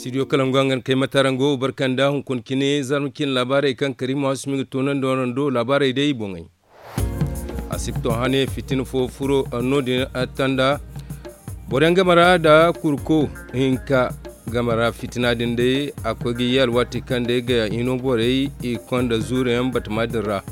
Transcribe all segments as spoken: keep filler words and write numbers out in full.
Studio kalangu hangan kay mataraŋ go barkanda hunkuna cine zarma cine laabaarey kaŋ kariima hasumi ga toonandi waraŋ do laabaarey day boŋey. Asibto hane fitina fo furo no din tanda boro yaŋ game ra nda kurko hinka game ra fitina din day a koy ga ye alwaati kaŋ day ga hino borey i konda zuuro yaŋ batama din ra.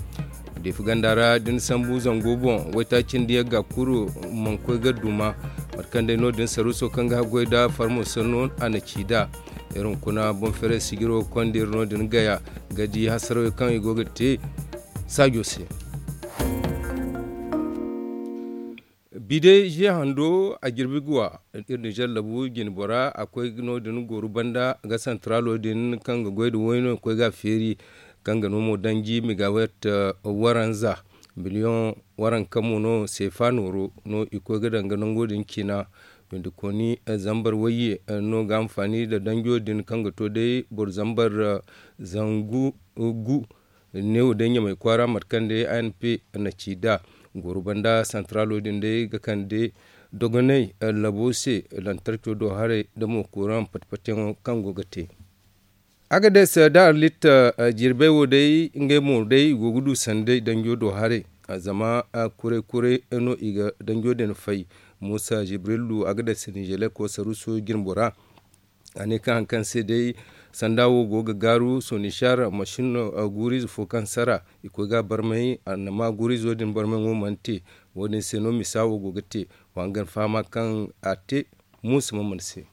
Diifa ganda ra da ni sambu zango boŋ waytaaci nda yagga kulu mana koy ga duma. Mate kaŋ day no- din saruuso kaŋ ga haggoy nda farmo sanno a na ci nd'a. Iri hunkuna boŋ feeray sijiro konda iri no- din gaya ga di hasarawey kaŋ i go ga te saajo se. Bide ze hando a jirbi guwa iri ninzeer labu jine bora a koy no- din gooru banda ga santaraalo din kaŋ ga goy nda wayno koy ga a feeri kaŋ ga no mo danji megawet waranza miliyoŋ waranka mo no seefa nooro no i koy ga daŋ ga nango din cina. Windi kooni zambar wayye no ga hanfaani nda danjo din kaŋ ga to day boro zambar zangu gu neewo day ɲamay kwaara mate kaŋ day a n p na ci nd'a. Goro banda santaraalo din day ga kande dogonay labo se lantarco do haray nda mo kuraŋ pati-patiyaŋo kaŋ go ga te. Agades da arlit jirbey wo day ngey mo day i go ga du sanday danjo do haray. Zama kuray-kuray no i ga danjo din fay. Muusa jibrilu agades nizeleko saruuso jirmbo ra. A ne kaŋ hari kaŋ se day sanda wo go ga gaaru sonishar masin guuriize fo kaŋ sara i koy ga a barmay annama guuriizo din barmay ŋo mana te. Wo- din se no misa wo go ga te. Wa nga ni fahama kaŋ a te muusa ma mana se.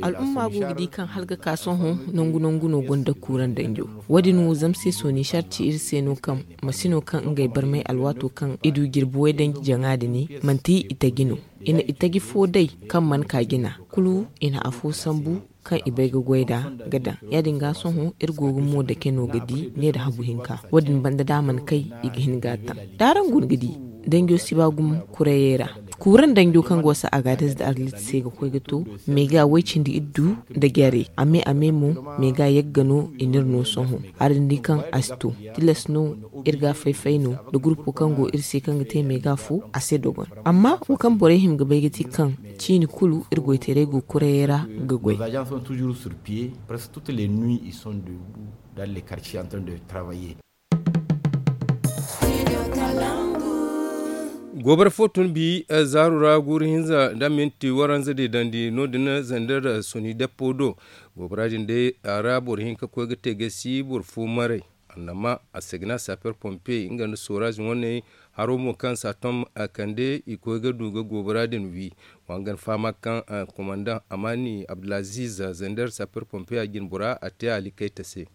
Al'umma go ga di kaŋ hala ga ka sohõ nangu nangu no gonda kuuraŋ danjo. Wo- din wo zama se sonishar ci iri se no kaŋ masino kaŋ ngey barmay alwaato kaŋ i du jirbi way danji jaŋa din manti i taji no. I na i taji fo day kaŋ mana ka jina kulu i na afo sambu kaŋ i bay ga goy nd'a ga daŋ. Ya- din ga sohõ iri go ga mo dake no ga di ne nda habu hinka. Wo- din banda da a mana kay i ga hin ga a taŋ. Da araŋ guna ga di danjo si ba gumo kurayey ra. Kuuraŋ danjo kaŋ go se agaades nda arlit se ga koy ga to meega way cindi iddu nda jare a me a me mo. Meega yagga no i n'iri no sohõ. Araŋ di kaŋ a si to tilas no iri ga a fay-fay no nda gurpo kaŋ go iri se kaŋ ga te meega fo a se dogon. Amma wo kaŋ borey hima ga bay ga ti kaŋ ciini kulu iri goytaray go kurayey ra ga goy. Goobara fo tun bi zaaru ra guuru hinza nda minti waranza deedandi no- din zander soni deppo do. Goobara din day a ra boro hinka koy ga te gasi boro fo maray. Annama a se ga ne a saper pompe nga nda soraz wane haro mo kaŋ saatom kande i koy ga du ga goobara din wi. Wa nga ni fahama kaŋ komandaŋ amaani abdulaziz zander saper pompe a jine bora a te a likayta se.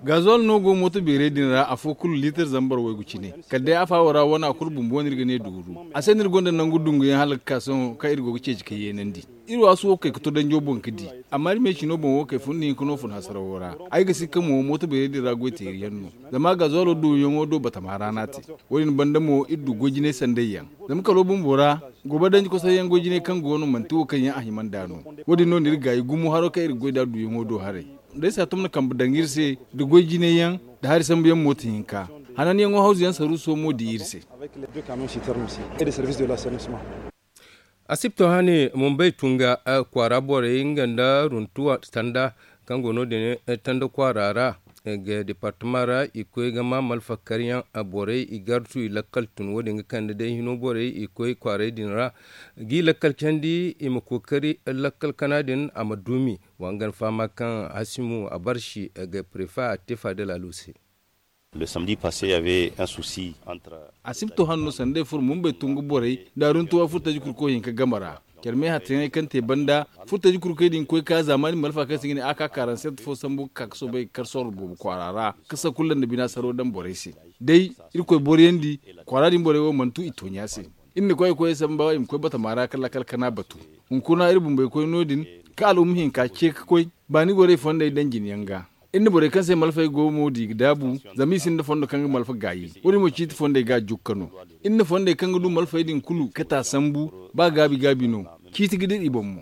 Gazol no go mooto beeray din ra afo kulu liitar zambar waygu cine. Kala day afa wo ra wana kulu bumbo no iri ga ne duuru a se no iri gonda nangu dunguyaŋ hala ga ka sohõ kaŋ iri go ga ceeci ka yeenandi. Iri waasu wo ga kay ga to danjo boŋ ga di. Amma iri me cino boŋ wo kay fun ni hinka no fun hasarawo ra. Ay ga si ka mo mooto beeray din ra goy teeri yaŋ no. Zama gazolo duuyaŋo do batama ra no a te. Wo- din banda mo iri du goy jinay sandayyaŋ. Zama kalo bumbo ra goba danji kosayyaŋ goy jinay kaŋ go no manti wo kaŋ yaŋ a hima nd'a no. Wo- din no na iri gaayi gumo haro kaŋ iri ga goy nd'a duuyaŋo do haray. Day saatom na kambe daŋ iri se nda goy jinayyaŋ nda hari sambuyaŋ mooto hinka. Hananyaŋo hawzuyaŋ saruuso mo di iri se. Asibto hane mumbay tunga kwaara borey nga nda runtuwa tanda kaŋ go no- din tanda kwaara ra ga departama ra i koy ga ma malfakaryaŋ borey i gartu i lakkal tun wo- din ga kande day hino borey i koy kwaaray din ra. G'i lakkal candi i ma kookari lakkal kana din a ma duumi. Wa nga ni fahama kaŋ hasimu a barsi ga prefa a te faadal alu se. Asibto hanno sanda ay furo mumbay tungu borey nda aruntuwa furtaji kurko hinka game ra. Care me hattayaŋey kaŋ te banda furtaji kurkey din koy ka zaamaani malfa kaŋ se ga ne a ka karanset fo sambu ga ka ga soobay ga kar sorro boobo kwaara ra. Ka sakulla nda bina saro daŋ borey se day irkoy boroyandi kwaara din borey wo mana tu i toonya se. Iri na koy ay koyey samba i ma koy batama ra ka lakkal kana batu. Hunkuna iri bumbey koy no- din ka al'umma hinka ce ka koy baani gorey fondey daŋ jine yaŋ ga. Iri na borey kaŋ se malfey go mo di ga daabu zama i sinda fondo kaŋ ga malfa gaayi. Wo- din mo ciiti fondey ga a jukka no. Iri na fondey kaŋ ga du malfey din kulu kata sambu ba gaabi gaabi no. Ciiti ga dira i boŋ mo.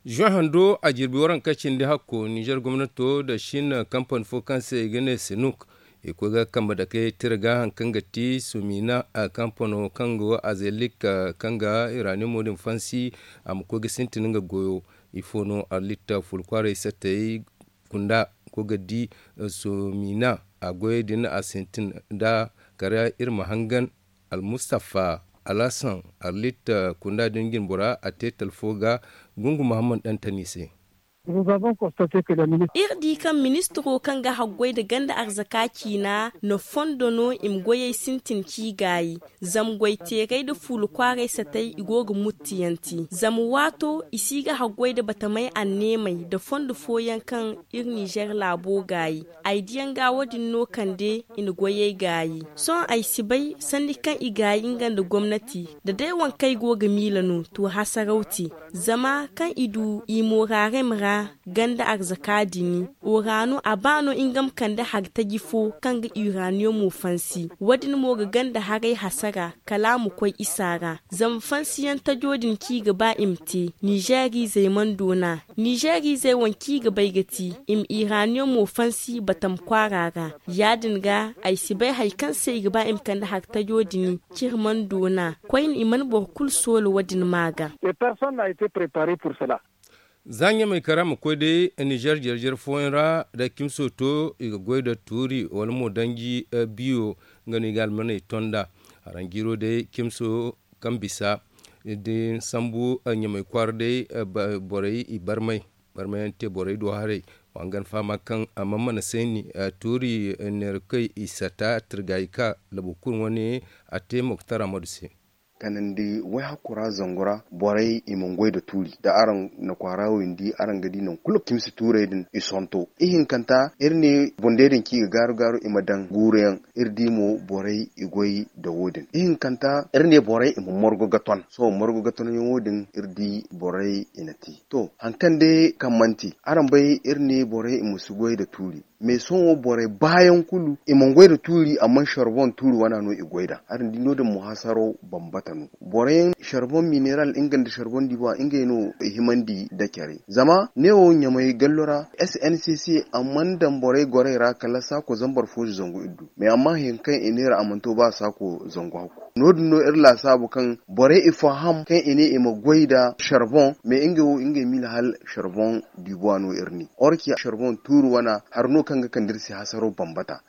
Zuwan hando a jirbi waranka cindi hakko nizer gomnato nda shin kampani fo kaŋ se i ga ne sinuk I koy ga kambe dake tira ga hari kaŋ ga ti sumina kampano kaŋ go azelik, kaŋ ga iraniyamo din fansi a ma koy ga sintin nga goyo. Ifo no arlit fulu kwaaray sattey kunda koy ga di sumina a goyey din a sintin nda kara iri ma hangan. Almustafa alhassan arlit kunda din jinbora a te talfo ga gungu muhammad dantani se. Iri di kaŋ ministiro kaŋ ga haggoy nda ganda arzaka ciina na fondo no i ma goyey sintin ci gaayi. Zama goyteerey nda fuula kwaaray satey i go ga muttiyanti zama waato i si ga haggoy nda batamey anneemey nda fondo fooyaŋ kaŋ iri ninzeer laabo gaayi. Ay diyaŋ ga wo- din no kande i na goyey gaayi. Sohõ ay si bay sanni kaŋ i gaayi nga nda gomnati nda day waŋ kaŋ ay go ga miila no to hasaraw te. Zama kaŋ i du i moorarem ra ganda arzaka dini, o ra no a ba no nga ma kande hari taji fo kaŋ ga uraniyomo fansi. Wo- din mo ga ganda haray hasara kala a ma koy isa ra. Zama fansiyaŋ tajo din kaŋ i ga ba i ma te ninzeer izey mana doona. Ninzeer izey waŋ kaŋ i ga bay ga ti i ma iraniyomo fansi batam kwaara ra. Ya- din ga ay si bay hari kaŋ se i ga ba i ma kande hari tajo din ciri mana doona. Koyne i mana boro kulu soola wo- din ma ga. Za ɲamay kara ma koy day ninzeer jare-jare fooyaŋ ra da kimso to i ga goy da tuuri wala mo danji biyo. Nga no i ga almaney ton nd'a. Haranjiiro day kimso kaŋ bisa da ni sambu ɲamay kwaara day borey i barmay. Barmayaŋ te borey do haray. Wa hangan fahama kaŋ a mana mana sayni tuuri neera koy i sata tirgaayi ka labu kulu wane a te moktar amadu se. Kanandi wayhakku ra zangu ra borey i mana goy nda tuuri da araŋ na kwaara wo i ma di araŋ ga di nangu kulu kimsi tuurey din i sonto ihinkanta iri ne bundey din kaŋ i ga gaaru gaaru i ma daŋ guuruyaŋ. Iri di mo borey i goy nda wo- din ihinkanta iri ne borey i ma morgo ga ton sohõ morgo ga tonyaŋo din iri di borey i na te. To hari kaŋ day kaŋ mana te araŋ bay iri ne borey i ma si goy nda tuuri. Mais sohõ borey baayaŋ kulu i mana goy nda tuuri amma sarbon tuuri wana no i goy nd'a araŋ di no- din mo hasaro bambata no. Boroyaŋ sarbon mineral nga nda sarbon diba ngey no i himandi nda care zama neewo ɲamay gallo ra s n c c a mana daŋ borey gorey ra kala saako zambar foozi zangu iri du. Mais amma hari kaŋ i neera a mana to ba saako zangu hakku. No- din no iri laasaabu kaŋ borey i faham kaŋ i ne i ma goy nda sarbon mais ngey wo ngey miila hala sarbon diba no iri ne orki sarbon tuuri wana hari no kaŋ ga kande iri se hasaro bambata.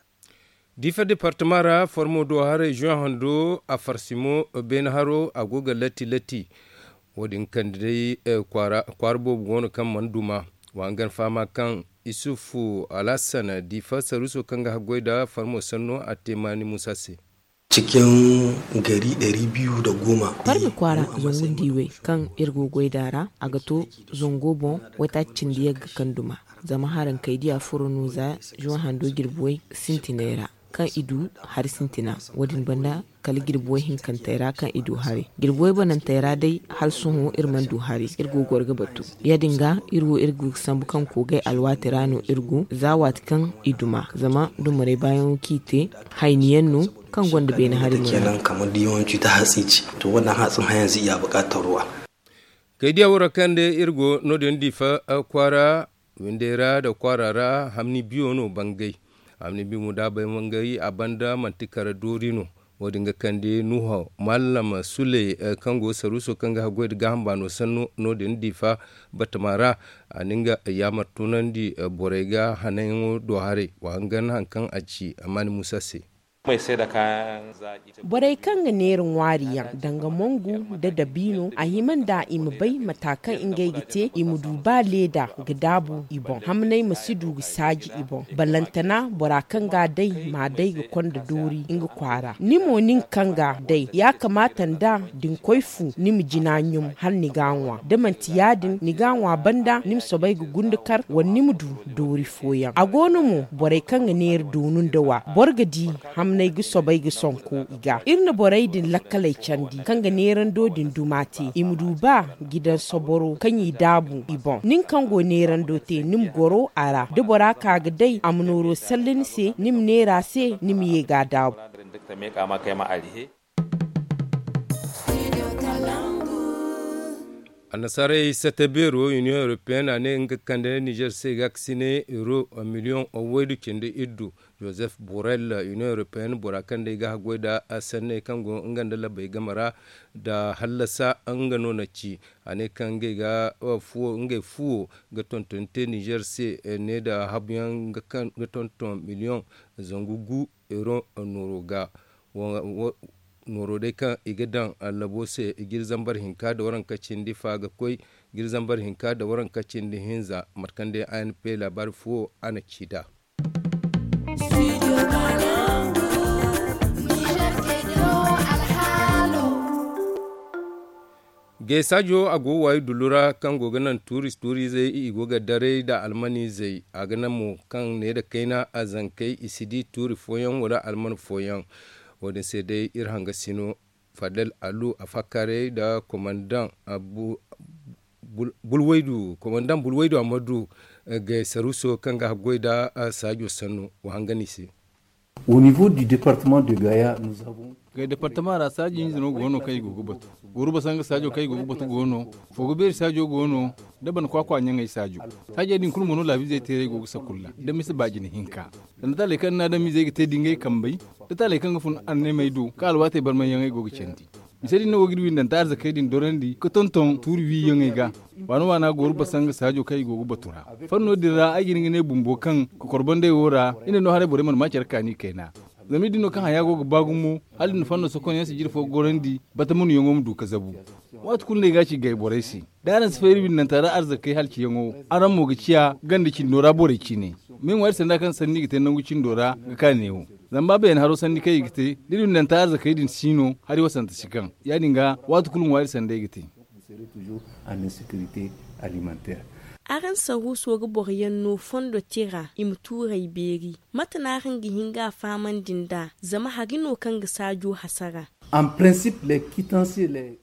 Diifa departama ra formo do haray zuwan hando a farsimo beene haro a go ga latti latti. Wo- din kande day kwaara boobo go no kaŋ mana duma. Wa hangan fahama kaŋ isufu alhassan diifa saruuso kaŋ ga haggoy nda farmo sanno a te maani muusa se. Cikin gari ɗari biyu da goma. Farmi kwaara zangu nda iway kaŋ iri go ga goy nd'a ra a ga to zango boŋ waytaaci cindi yagga kaŋ duma. Zama haraŋ kay diya furo no za zuwan hando jirbi way sintinay ra kaŋ i du hari sintina. Wo- din banda kala jirbi way hinkantey ra kaŋ i du hari jirbi way banantey ra day hala sohõ iri mana du hari iri go ga goro ga batu. Ya- din ga iri wo iri go ga sambu kaŋ koogay alwaati ra no iri go za waati kaŋ i duma zama dumarey baayaŋo kaŋ i te hayni yaŋ no kaŋ gonda beene hari muraadu. Kaydiya wara kaŋ day iri go no- din diifa kwaara windey ra nda kwaara ra hamni biyo no bangay. Hamni biyo mo da a bay bangay a banda manti kara doori no. Wo- din ga kande nuho mallam suley kaŋ go saruuso kaŋ ga haggoy nda gaaham baano sanno no- din diifa batama ra. A na nga yaamar tunandi borey ga hananyaŋo do haray wa hangan hari kaŋ a ci a maani muusa se. Borey kaŋ ga neera ŋwaari yaŋ danga mongu nda dabiino a hima nda i ma bay mata kaŋ ngey ga te i ma du ba leeda ga daabu i boŋ hamnay ma si du ga saaji i boŋ. Balantana bora kaŋ ga a day ma a day ga konda doori nga kwaara ni mo nin kaŋ ga a day ya kamaata nda da ni koy fu ni ma jina ɲum hala ni ga a ŋwa da manti ya- din ni ga a ŋwa banda ni ma soobay ga gunda kar wala ni ma du doori fooyaŋ a go no mo borey kaŋ ga neera doonu nda wa boro ga di hamnay ga soobay ga sonko i ga iri na borey din lakkaley candi kaŋ ga neerando din duma te i ma du ba ga i daŋ soboro kaŋ i daabu i boŋ nin kaŋ go neerando te ni ma goro a ra da bora ka ga day a ma nooro salle ni se ni ma neera se ni ma ye ga a daabu. Annasaarey sata beero union européenne a ne nga kande nizer se ga ga sine euro miliyoŋ waydu cindi iddu. Joseph Borrell, Union Européenne bora kaŋ day ga haggoy nda sanney kaŋ go nga nda labbey game ra nda hallasa nga no na ci. A ne kaŋ ngey ga fuwo ga tonton te nizer se ne nda habuyaŋ ga tonton miliyoŋ zangu gu euro nooro ga. Nooro day kaŋ i ga daŋ labo se, giri zambar hinka nda waranka cindi fa ga koy giri zambar hinka nda waranka cindi hinza. Mate kaŋ day a n p laabaari fuwo a na ci nd'a. Gay saajo a go waayi dullu ra kaŋ go ga naŋ tuuri tuuri izey i go ga daray nda alman izey. A ga naŋ mo kaŋ ne nda kayna a zankey i si di tuuri fooyaŋ wala alman fooyaŋ. Wo- din se day iri hanga sino fadel alu a fakkaaray nda komandaŋ bulwaydu amadu gay saruuso kaŋ ga haggoy nda saajo sanno. Wa hangan i se. Au niveau du département de gaya nous avons. Gay departama ra saaji hinza no go no kaŋ i go ga batu. Goruba sanga saajo kaŋ i go ga batu go no. Fogo beeri saajo go no. Da bana kwakwa ɲaŋey saajo. Saajey din kulu mo no laabiizey teeray go ga sakulla da mise baajina hinka. Sanda taaley kaŋ ni na adamizey ga te da ngey kambey da taaley kaŋ ga fun anneemey do kaŋ alwaatey barmayyaŋey go ga candi. Mise din no go ga iri windanta arzakey din dorandi ga tonton tuuri wiiyaŋey ga. Waana waana gooru basanga saajo kaŋ i go ga batu ra. Fanno din ra ay ga hin ga ne bumbo kaŋ kokorbandey wo ra i ne no haray borey mana ma care kaani kayna. Zama iri din no kaŋ haya go ga ba gumo hala iri na fanno sokonyaŋ sijiri fo gorandi bata munuyaŋo ma du ga zabu. Waati kulu no ay ga a ci gay borey se da araŋ si fay iri windanta ra arzakey halciyaŋo araŋ mo ga ciya ganda cindo ra borey cine. Ma ay ŋwa iri sanda kaŋ sanni ga te nangu cindo ra ga ka neewo. Zama ba beene haro sanni kaŋ i ga te da iri windanta arzakey din si no hari wasanta si kaŋ ya- din ga waati kulu ŋwa iri sanda ay ga te. Araŋ saruuso ga boro yaŋ no fondo tira i ma tuurey beeri. Mate no araŋ ga hin ga a fahamandi nd'a zama hari no kaŋ ga saajo hasara.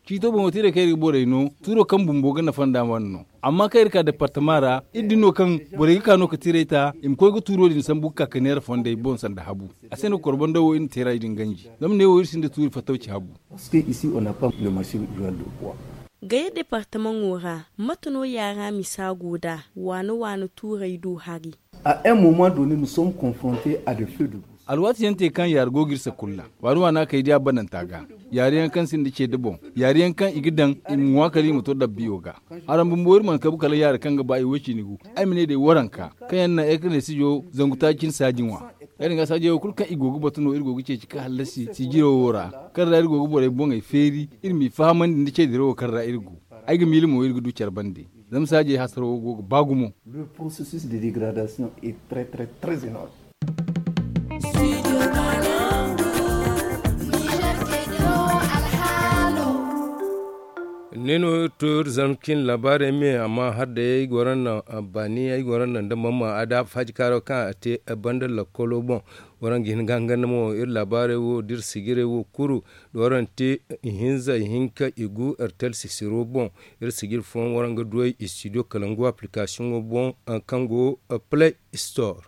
Ciito boŋo tiirey kaŋ iri ga borey no tuuro kaŋ bumbo ga nafa nd'a wane no. Amma kaŋ iri ka departama ra iri din no kaŋ borey ga ka no ga tiirey ta i ma koy ga tuuro din sambu ga ka ga neera fondey boŋ sanda habu. A se no korbando wo iri na teera i din ganji. Zama neewo iri sinda tuuri fattawci habu. Gaya departamaŋo ra mate no yaara misa go nd'a waana waana tuurey do hari. Alwaati yaŋ te kaŋ yaari go ga iri sakulla waani waana kay di a bananta ga. Yaari yaŋ kaŋ sinda ceede boŋ yaari yaŋ kaŋ i ga daŋ i ma ŋwa kala i ma to dabbiyo ga. Araŋ bumbo iri mana kabu kala yaari kaŋ ga ba i woy cine gu. Ay ma ne day waranka kaŋ yaŋ naŋ ay ga ne sijo zangu taaci cine saaji ŋwa. Ya- din ga saajey wo kulu kaŋ i go ga batu no iri go ga ceeci ga hallasi sijiro wo ra kaŋ ra iri go ga borey boŋey feeri. Iri m'i fahamandi nda ceedirawo kaŋ ra iri go. Ay ga miila mo iri ga du care bande. Zama saajey hasaro go ga ba gumo. Ne no iri to iri zama cin laabaarey me amma har day ay goro naŋ baani ay goro naŋ nda mamma a da faaji kaaro kaŋ a te banda lakkolo boŋ. Waraŋ ga hin ga hangan mo iri laabaarey wo da iri sijirey wo kuru da waraŋ te ihinza ihinka igu iri tala sisiro boŋ. Iri sijiri fooyaŋ waraŋ ga du ay istidiyo kalangu aplikasiyoŋo boŋ kaŋ go play store.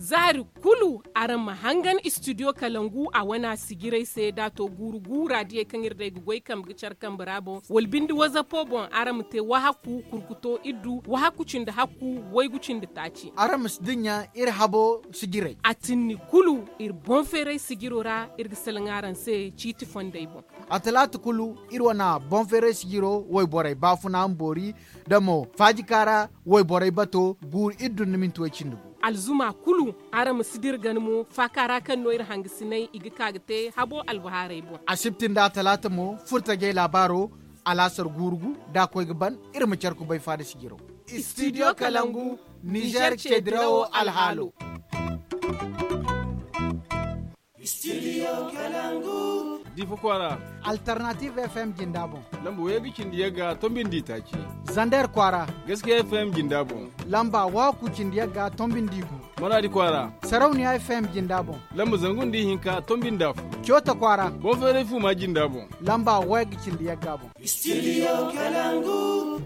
Zaari kulu araŋ ma hangan istidiyo kalangu a wana sijirey se da a to guuru guura diyey kaŋ iri day ga goy kambe ga care kambe ra boŋ wala binde wazapo boŋ araŋ ma te wahakku kurkuto iddu wahakku cindi hakku waygu cindi taaci. Araŋ ma si dinya iri habo sijirey. A tinni kulu iri boŋ feeray sijiro ra iri ga salaŋ araŋ se ciiti fondey boŋ. A talaata kulu iri wana boŋ feeray sijiro wayborey baafuna ma boori da mo faaji kaara wayborey bato guuru iddu nda minti way cindi gu. Alzuma kulu araŋ ma si dira gana mo faaka ra kaŋ no iri hangasinay i ga ka ga te habo albahaarey boŋ. Asibti nda talaata mo furtajey laabaaro alaasar guuru gu da a koy ga ban. Iri ma care kubay faada sijiro. Istidiyo kalangu nizer ceedirawo alhaalo. Difa kwaara. Alternative f m jinda boŋ. Lamba wayga cindi yagga tombi nda itaaci. Zander kwaara. Gaskiya f m jinda boŋ. Lamba wahakku cindi yagga tombi nda igu. Maradi kwaara. Sarauniya f m jinda boŋ. Lamba zangu nda ihinka tombi nda afo. Coota kwaara. Boŋ feeray fuuma jinda boŋ. Lamba wayga cindi yagga boŋ. Studio Kalangu.